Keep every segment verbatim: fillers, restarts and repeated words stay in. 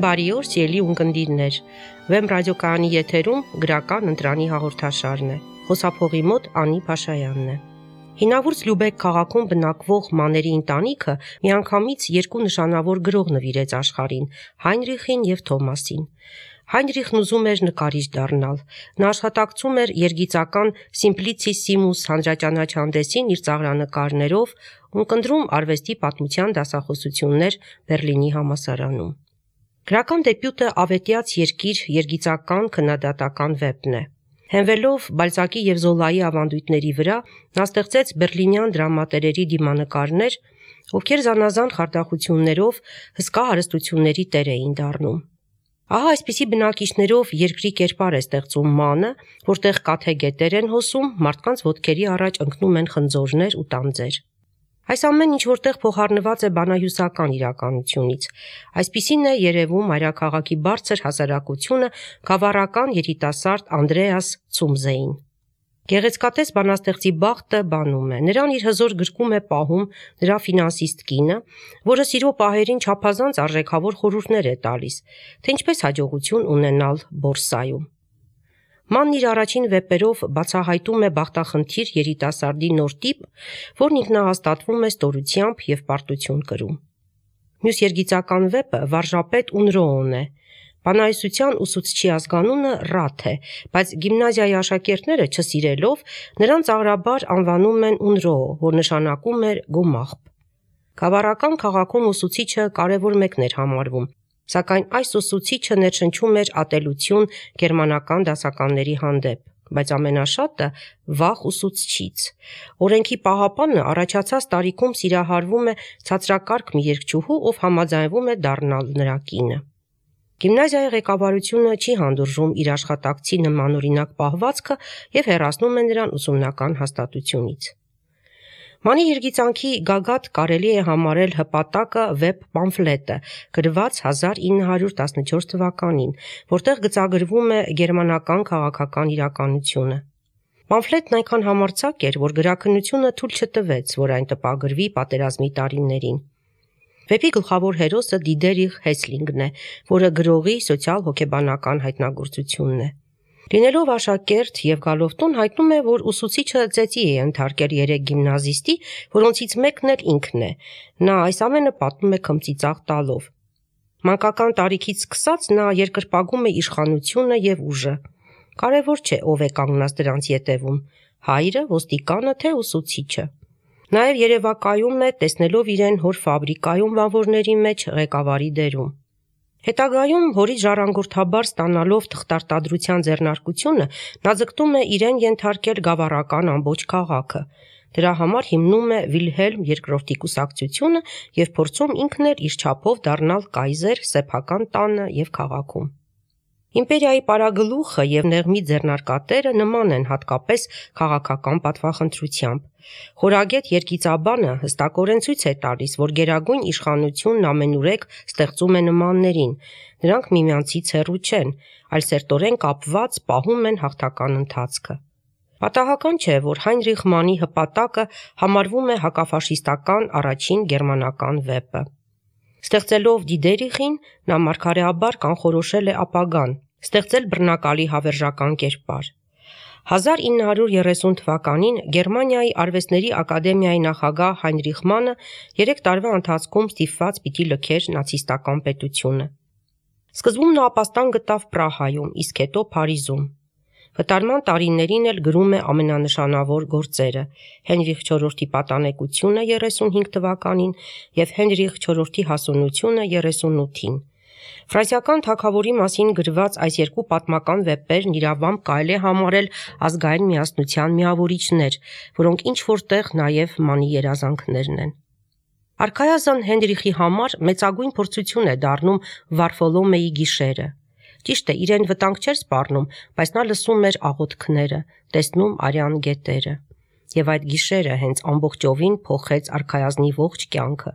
Բարի օր, սիրելի ունկնդիրներ։ Վեմ ռադիոկայանի եթերում գրական ընտրանի հաղորդաշարն է։ Խոսափողի մոտ Անի Փաշայանն է։ Հինավուրց Լյուբեկ քաղաքում բնակվող մաների ընտանիքը միանգամից երկու նշանավոր գրող նվիրեց աշխարհին՝ Հայնրիխին եւ Թոմասին։ Հայնրիխն ուզում էր նկարիչ դառնալ։ Նա աշխատակցում էր երգիծական Simplicissimus հանրաճանաչհանդեսին իր ծաղրանկարներով, ունկնդրում արվեստի պատմության դասախոսություններ Բերլինի համալսարանում։ Գրական դեբյուտը Ավետյաց երկիր երգիծական քննադատական վեպն է։ Հենվելով Բալզակի եւ Զոլայի ավանդույթների վրա, նա ստեղծեց բերլինյան դրամատերերի դիմանկարներ, ովքեր զանազան խարդախություններով հսկա հարստությունների տեր էին դառնում։ Ահա այսպիսի բնակիչներով երկրի կերպար է ստեղծում մանը, որտեղ կաթե գետեր են հոսում, մարդկանց ոտքերի առաջ ընկնում են խնձորներ ու տանձեր։ Այս ամեն ինչ որտեղ փոխառնված է բանահյուսական իրականությունից։ Այսպիսին է երևում մայրաքաղաքի բարձր հասարակությունը գավառական երիտասարդ Անդրեաս Ցումզեին։ Գեղեցկատես բանաստեղծի բախտը բանում է։ Նրան իր հզոր գրկում է պահում նրա ֆինանսիստ կինը, որը սիրո պահերին չափազանց արժեքավոր խորհուրդներ է տալիս, թե ինչպես հաջողություն ունենալ բորսայում։ Մանն իր առաջին վեպերով բացահայտում է բախտախնդիր երիտասարդի նոր տիպ, որն ինքնահաստատվում է ստորությամբ եւ պարտություն կրում։ Մյուս երգիծական վեպը Վարժապետ Ունրոոն է։ Բանահյուսության ուսուցչի ազգանունը Ռաթ է, բայց գիմնազիայի աշակերտները չսիրելով նրան ծաղրաբար անվանում են Ունրոո, որ նշանակում է գոմաղբ։ Գավառական քաղաքում ուսուցիչը կարևոր մեկն էր համարվում, սակայն այս ուսուցիչը ներշնչում էր ատելություն գերմանական դասականների հանդեպ, բայց ամենաշատը վախ ուսուցչից։ Օրենքի պահապանը առաջացած տարիքում սիրահարվում է ցածրակարգ մի երգչուհու, ով համաձայնվում է դառնալ նրա կինը։ Գիմնազիայի ղեկավարությունը չի հանդուրժում իր աշխատակցի նմանօրինակ պահվածքը եւ հեռացնում է նրան ուսումնական հաստատությունից։ Մանի երգիծանքի գագաթ կարելի է համարել հպատակը վեպ պամֆլետը, գրված հազար ինը հարյուր տասնչորս թվականին, որտեղ գծագրվում է գերմանական քաղաքական իրականությունը։ Պամֆլետն այնքան համարձակ էր, որ գրաքննությունը թույլ չտվեց, որ այն տպագրվի պատերազմի տարիներին։ Վեպի գլխավոր հերոսը Դիդերիխ Հեսլինգն է, որը գրողի սոցիալ-հոգեբանական հայտնագործությունն է։ Լինելով աշակերտ եւ գալով տուն հայտնում է, որ ուսուցիչը ծեծի է ընդհարկել երեք գիմնազիստի, որոնցից մեկն էլ ինքն է։ Նա այս ամենը պատմում է քմծիծաղ տալով։ Մանկական տարիքից սկսած նա երկրպագում է իշխանությունը եւ ուժը։ Կարևոր չէ, ով է կանգնած դրանց ետևում՝ հայրը, ոստիկանը, թե ուսուցիչը։ Նաև երևակայում է, տեսնելով իրեն հոր ֆաբրիկայում բանվորների մեջ ղեկավարի դերում։ Հետագայում հորից ժառանգորդաբար ստանալով թղթարտադրության ձեռնարկությունը, նա ձգտում է իրեն ենթարկել գավառական ամբողջ քաղաքը։ Դրա համար հիմնում է Վիլհելմ երկրորդի կուսակցությունը եւ փորձում ինքն էլ իր չափով դառնալ կայզեր սեփական տանը եւ քաղաքում։ Իմպերիայի պարագլուխը եւ նեղմի ձեռնարկատերը նման են հատկապես քաղաքական պատվախնդրությամբ։ Խորագետ երգիծաբանը հստակորեն ցույց է տալիս, որ գերագույն իշխանությունն ամենուրեք ստեղծում է նմաններին, նրանք միմյանցից հեռու չեն, այլ սերտորեն կապված պահում են հաղթական ընթացքը։ Պատահական չէ, որ Հայնրիխ Մանի հպատակը համարվում է հակաֆաշիստական առաջին գերմանական վեպը։ Ստեղծելով Դիդերիխին, նա մարգարեաբար կանխորոշել է ապագան, ստեղծել բռնակալի հավերժական կերպար։ հազար ինը հարյուր երեսուն թվականին Գերմանիայի արվեստների ակադեմիայի նախագահ Հայնրիխ Մանը երեք տարվա ընթացքում ստիպված պիտի լքեր նացիստական պետությունը։ Սկզբում նա ապաստան գտավ Պրահայում, իսկ հետո Փարիզում։ Վտարման տարիներին էլ գրում է ամենանշանավոր գործերը՝ Հենրիխ չորրորդի պատանեկությունը երեսունհինգ թվականին եւ Հենրիխ չորրորդի հասունությունը երեսունութին։ Ֆրանսիական թագավորի մասին գրված այս երկու պատմական վեպերն իրավամբ կարելի է համարել ազգային միասնության միավորիչներ, որոնք ինչ որտեղ նաև Մանի երազանքներն են։ Արքայազն Հենրիխի համար մեծագույն փորձություն է դառնում Վարֆոլոմեի գիշերը։ Ճիշտ է, իրեն վտանգ չէր սպառնում, բայց նա լսում էր աղոթքները, տեսնում արյան գետերը։ Եվ այդ գիշերը հենց ամբողջովին փոխեց արքայազնի ողջ կյանքը։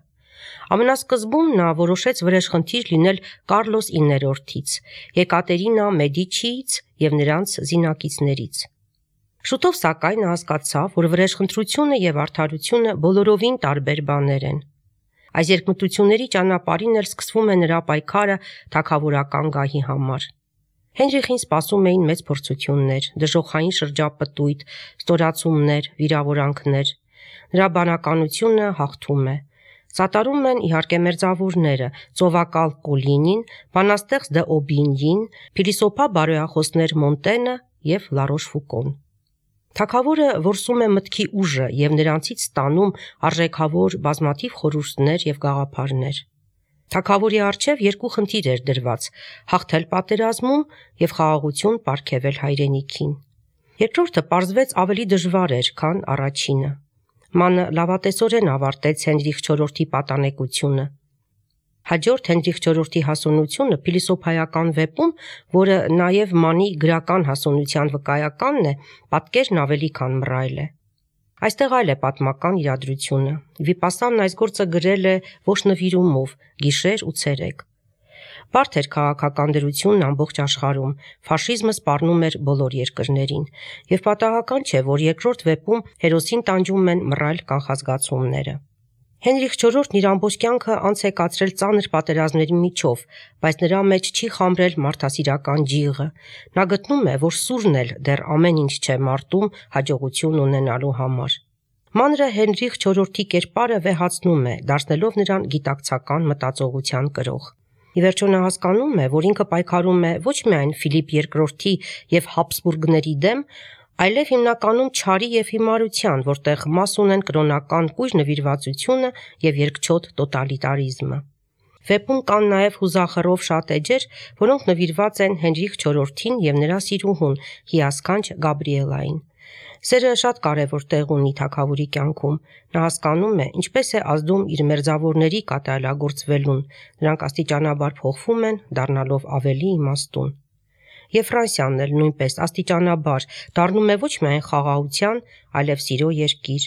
Ամենասկզբում նա որոշեց վրեժխնդիր լինել Կարլոս իններորդից, Եկատերինա Մեդիչիից եւ նրանց զինակիցներից։ Շուտով սակայն նա հասկացավ, որ վրեժխնդրությունը եւ արդարությունը բոլորովին տարբեր բաներ են։ Այս երկմտությունների ճանապարհին էլ սկսվում է նրա պայքարը թագավորական գահի համար։ Հենրիխին սպասում էին մեծ փորձություններ, դժոխային շրջապտույտ, ստորացումներ, վիրավորանքներ։ Նրա բանականությունը հաղթում է։ Սատարում են իհարկե մերձավորները՝ ծովակալ Կոլինին, բանաստեղծ դը Օբինյին, փիլիսոփա բարոյախոսներ Մոնտենը եւ Լարոշ Ֆուկոն։ Թագավորը որսում է մտքի ուժը եւ նրանցից ստանում արժեքավոր բազմաթիվ խորհուրդներ եւ գաղափարներ։ Թագավորի առջև երկու խնդիր էր դրված՝ հաղթել պատերազմում եւ խաղաղություն պարգևել հայրենիքին։ Երկրորդը պարզվեց ավելի դժվար էր, քան առաջինը։ Մանը լավատեսորեն ավարտեց Հենրիխ չորրորդի պատանեկությունը։ Հաջորդ Հենրիխ չորրորդի հասունությունը փիլիսոփայական վեպում, որը նաև Մանի գրական հասունության վկայականն է, պատկերն ավելի քան մռայլ է։ Այստեղ այլ է պատմական իրադրությունը։ Վիպասանն այս գործը գրել է ոչ նվիրումով, գիշեր ու ցերեկ։ Բարդ էր քաղաքական դրությունն ամբողջ աշխարհում, ֆաշիզմը սպառնում էր բոլոր երկրներին, եւ պատահական չէ, որ երկրորդ վեպում հերոսին տանջում են մռայլ կանխազգացումները։ Հենրիխ չորրորդն իր ամբողջ կյանքը անց է կացրել ծանր պատերազմների միջով, բայց նրա մեջ չի խամրել մարդասիրական ջիղը։ Նա գտնում է, որ սուրն էլ դեռ ամեն ինչ չէ մարտում հաջողություն ունենալու համար։ Մանրը Հենրիխ չորրորդի կերպարը վեհացնում է, դարձնելով նրան գիտակցական մտածողության կրող։ Ի վերջո նա հասկանում է, որ ինքը պայքարում է ոչ միայն Ֆիլիպ երկրորդի եւ Հաբսբուրգների դեմ, այլև հիմնականում չարի եւ հիմարության, որտեղ մաս ունեն կրոնական կույր նվիրվածությունը եւ երկչոտ տոտալիտարիզմը։ Վեպում կան նաեւ հուզախռով շատ էջեր, որոնք նվիրված են Հենրիխ չորրորդին եւ նրա սիրուհուն հիասքանչ Գաբրիելային։ Սերը շատ կարևոր տեղ ունի թագավորի կյանքում։ Նա հասկանում է, ինչպես է ազդում իր մերձավորների կատարելագործվելուն։ Նրանք աստիճանաբար փոխվում են, դառնալով ավելի իմաստուն։ Եվ Ֆրանսիան էլ նույնպես աստիճանաբար դառնում է ոչ միայն խաղաղության, այլև սիրո երկիր։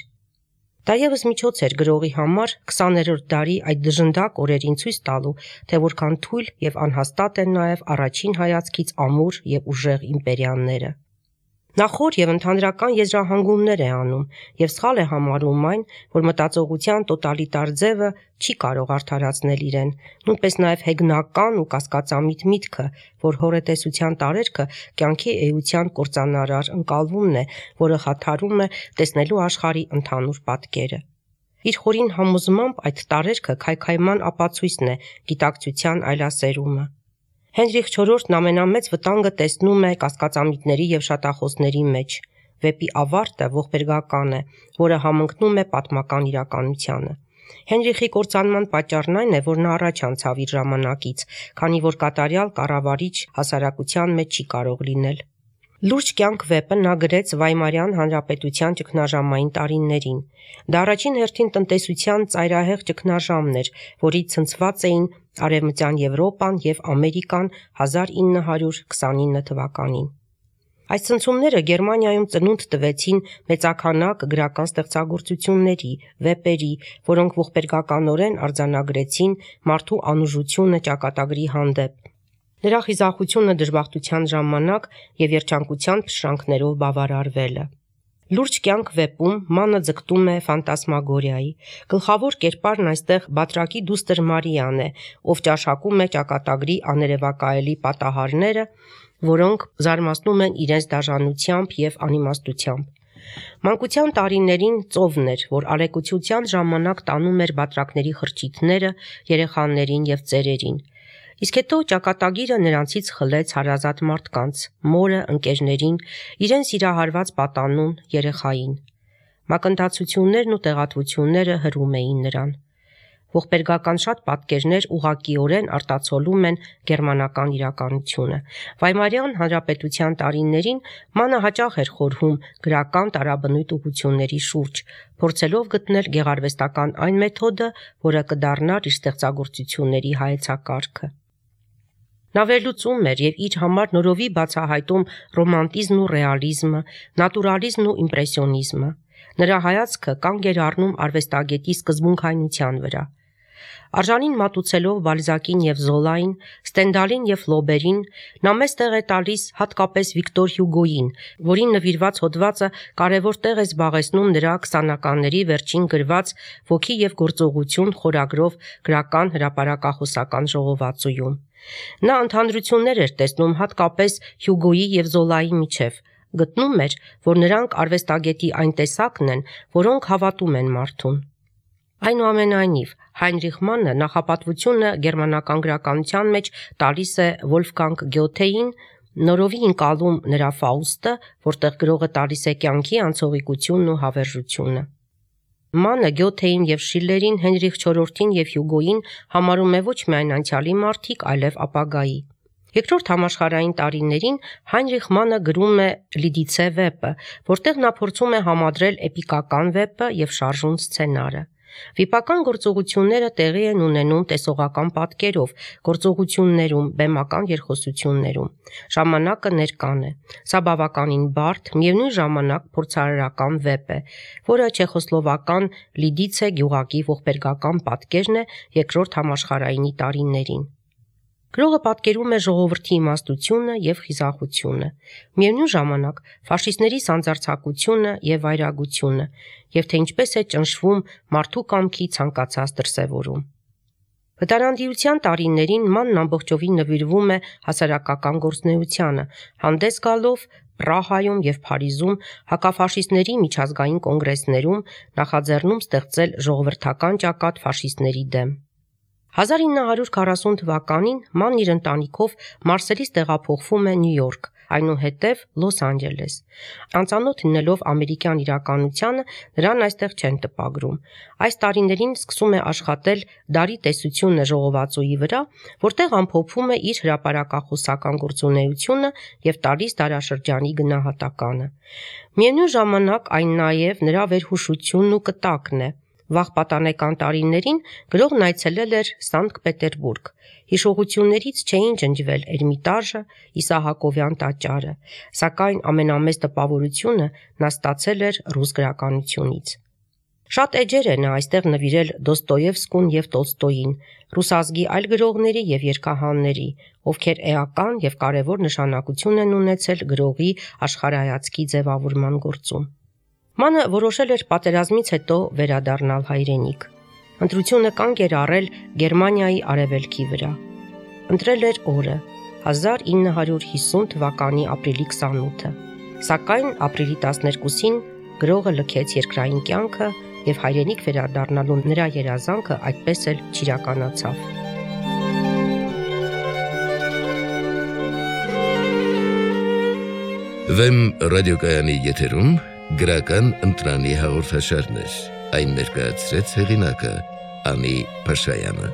Դա եւս միջոց էր գրողի համար քսաներորդ դարի այդ դժնդակ օրերին ցույց տալու, թե որքան թույլ եւ անհաստատ են նաեւ առաջին հայացքից ամուր եւ ուժեղ իմպերիաները։ Նա խոր եւ ընդհանրական եզրահանգումներ է անում եւ սխալ է համարում այն, որ մտածողության տոտալիտար ձևը չի կարող արդարացնել իրեն, նույնպես նաեւ հեգնական ու կասկածամիտ միտքը, որ հորետեսության տարերքը կյանքի էության կործանարար ընկալումն է, որը խաթարում է տեսնելու աշխարհի ընդհանուր պատկերը։ Իր խորին համոզմամբ այդ տարերքը քայքայման ապացույցն է գիտակցության այլասերումը։ Հենրիխ չորրորդն ամենամեծ վտանգը տեսնում է կասկածամիտների եւ շատախոսների մեջ։ Վեպի ավարտը ողբերգական է, որը համընկնում է պատմական իրականությանը։ Հենրիխի կործանման պատճառն այն է, որ նա առաջ անցավ իր ժամանակից, քանի որ կատարյալ կառավարիչ հասարակության մեջ չի կարող լինել։ Լուրջ կյանք վեպը նա գրեց Վայմարյան հանրապետության ճգնաժամային տարիներին։ Դա առաջին հերթին տնտեսության ծայրահեղ ճգնաժամն էր, որից ցնցված էին Արևմտյան Եվրոպան եւ Ամերիկան հազար ինը հարյուր քսանինը թվականին։ Այս ցնցումները Գերմանիայում ծնունդ տվեցին մեծաքանակ գրական ստեղծագործությունների, վեպերի, որոնք ողբերգականորեն արձանագրեցին մարդու անուժությունը ճակատագրի հանդեպ, նրա խիզախությունը դժբախտության ժամանակ եւ երջանկության փշրանքներով բավարարվելը։ Լուրջ կյանք վեպում Մանը ձգտում է ֆանտասմագորիայի։ Գլխավոր կերպարն այստեղ Բատրակի դուստր Մարիան է, ով ճաշակում է ճակատագրի աներևակայելի պատահարները, որոնք զարմացնում են իրենց դաժանությամբ եւ անիմաստությամբ։ Մանկության տարիներին ծովն էր, որ արեկուցության ժամանակ տանում էր բատրակների խրճիթները երեխաներին եւ ծերերին։ Իսկ հետո ճակատագիրը նրանցից խլեց հարազատ մարդկանց, մորը, ընկերներին, իրեն սիրահարված պատանուն, երեխային։ Մակընթացություններն ու տեղատվությունները հրում էին նրան։ Ողբերգական շատ պատկերներ ուղղակիորեն արտացոլում են գերմանական իրականությունը։ Վայմարյան հանրապետության տարիներին Մանը հաճախ էր խորհում գրական տարաբնույթ ուղղությունների շուրջ, փորձելով գտնել գեղարվեստական այն մեթոդը, որը կդառնար իր ստեղծագործությունների հայեցակարգը։ Նա վերլուծում էր եւ իր համար նորովի բացահայտում ռոմանտիզմն ու ռեալիզմը, նատուրալիզմն ու իմպրեսիոնիզմը։ Նրա հայացքը կանգ էր առնում արվեստագետի սկզբունքայնության վրա։ Արժանին մատուցելով Բալզակին եւ Զոլային, Ստենդալին եւ Ֆլոբերին, նա մեծ տեղ է տալիս հատկապես Վիկտոր Հյուգոյին, որին նվիրված հոդվածը կարևոր տեղ է զբաղեցնում նրա քսանականների վերջին գրված «Ոգի եւ գործողություն» խորագրով գրական հրապարակախոսական ժողովածուում։ Նա ընդհանրություններ էր տեսնում հատկապես Հյուգոյի եւ Զոլայի միջև, գտնում էր, որ նրանք արվեստագետի այն տեսակն են, որոնք հավատում են մարդուն։ Այնուամենայնիվ, Հայնրիխ Մաննը նախապատվությունը գերմանական գրականության մեջ տալիս է Վոլֆգանգ Գյոթեին, նորովի ընկալում նրա Ֆաուստը, որտեղ գրողը տալիս է կյանքի անցողիկությունն ու հավերժությունը։ Մանը Գյոթեին եւ Շիլլերին, Հենրիխ չորրորդին եւ Հյուգոյին համարում է ոչ միայն անցյալի մարդիկ, այլև ապագայի։ Երկրորդ համաշխարհային տարիներին Հայնրիխ Մանը գրում է Լիդիցե վեպը, որտեղ նա փորձում է համադրել էպիկական վեպը եւ շարժուն սցենարը։ Վիպական գործողությունները տեղի են ունենում տեսողական պատկերով, գործողություններում, բեմական երկխոսություններում։ Ժամանակը ներկան է։ Սա բավականին բարդ, միևնույն ժամանակ փորձարարական վեպ է, որը չեխոսլովական Լիդիցե գյուղակի ողբերգական պատկերն է երկրորդ համաշխարհայինի տարիներին։ Գրողը պատկերում է ժողովրդի իմաստությունը եւ խիզախությունը, միևնույն ժամանակ ֆաշիստների սանձարձակությունը եւ վայրագությունը, եւ թե ինչպես է ճնշվում մարդու կամքի ցանկացած դրսեւորում։ Վտարանդիության տարիներին Մանն ամբողջովին նվիրվում է հասարակական գործունեությանը, հանդես գալով Պրահայում եւ Փարիզում հակաֆաշիստների միջազգային կոնգրեսներում նախաձեռնում ստեղծել ժողովրդական ճակատ ֆաշիստների դեմ։ հազար ինը հարյուր քառասուն թվականին Մանն իր ընտանիքով Մարսելից տեղափոխվում է Նյու Յորք, այնուհետև Լոս Անջելես։ Անծանոթ լինելով ամերիկյան իրականությանը, նրան այստեղ չեն տպագրում։ Այս տարիներին սկսում է աշխատել «Դարի տեսությունը» ժողովածուի վրա, որտեղ ամփոփում է իր հրապարակախոսական գործունեությունը եւ տալիս դարաշրջանի գնահատականը։ Միևնույն ժամանակ այն նաեւ նրա վերհուշությունն ու կտակն է։ Վաղ պատանեկան տարիներին գրողն այցելել էր Սանկտ Պետերբուրգ։ Հիշողություններից չէին ջնջվել Էրմիտաժը, Իսահակովյան տաճարը, սակայն ամենամեծ տպավորությունը նա ստացել էր ռուս գրականությունից։ Շատ էջեր է նա այստեղ նվիրել Դոստոևսկուն եւ Տոլստոյին, ռուսազգի այլ գրողների եւ երգահանների, ովքեր էական եւ կարևոր նշանակություն են ունեցել գրողի աշխարհայացքի ձևավորման գործում։ Մանը որոշել էր պատերազմից հետո վերադառնալ հայրենիք։ Ընտրությունը կանգ էր առել Գերմանիայի արևելքի վրա։ Ընտրել էր օրը հազար ինը հարյուր հիսուն թվականի ապրիլի քսանութը, սակայն ապրիլի տասներկուսին գրողը լքեց երկրային կյանքը եւ հայրենիք վերադառնալու նրա երազանքը այդպես էլ չիրականացավ։ Վեմ ռադիոկայանի եթերում գրական ընտրանի հաղորդաշարներ, այն ներկայացրեց հեղինակը Անի Փաշայանը։